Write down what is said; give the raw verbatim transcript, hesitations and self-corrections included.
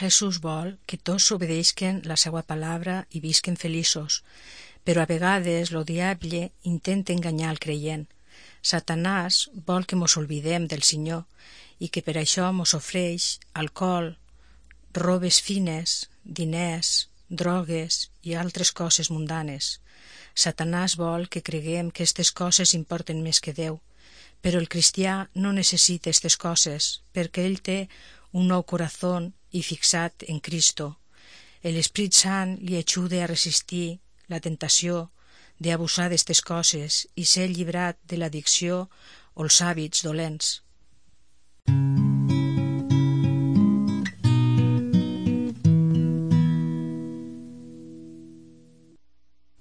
Jesús vol que tots obedeixen la seva palabra i visquen feliços, però a vegades lo diable intenta enganyar el creient. Satanàs vol que mos oblidem del Senyor i que per això mos ofreix alcohol, robes fines, diners, drogues i altres coses mundanes. Satanàs vol que creguem que aquestes coses importen més que Déu, però el cristià no necessita aquestes coses perquè ell té un nou corazón i fixat en Cristo. L'Esprit Sant li ajuda a resistir la tentació d'abusar d'aquestes coses i ser llibrat de l'addicció o els hàbits dolents.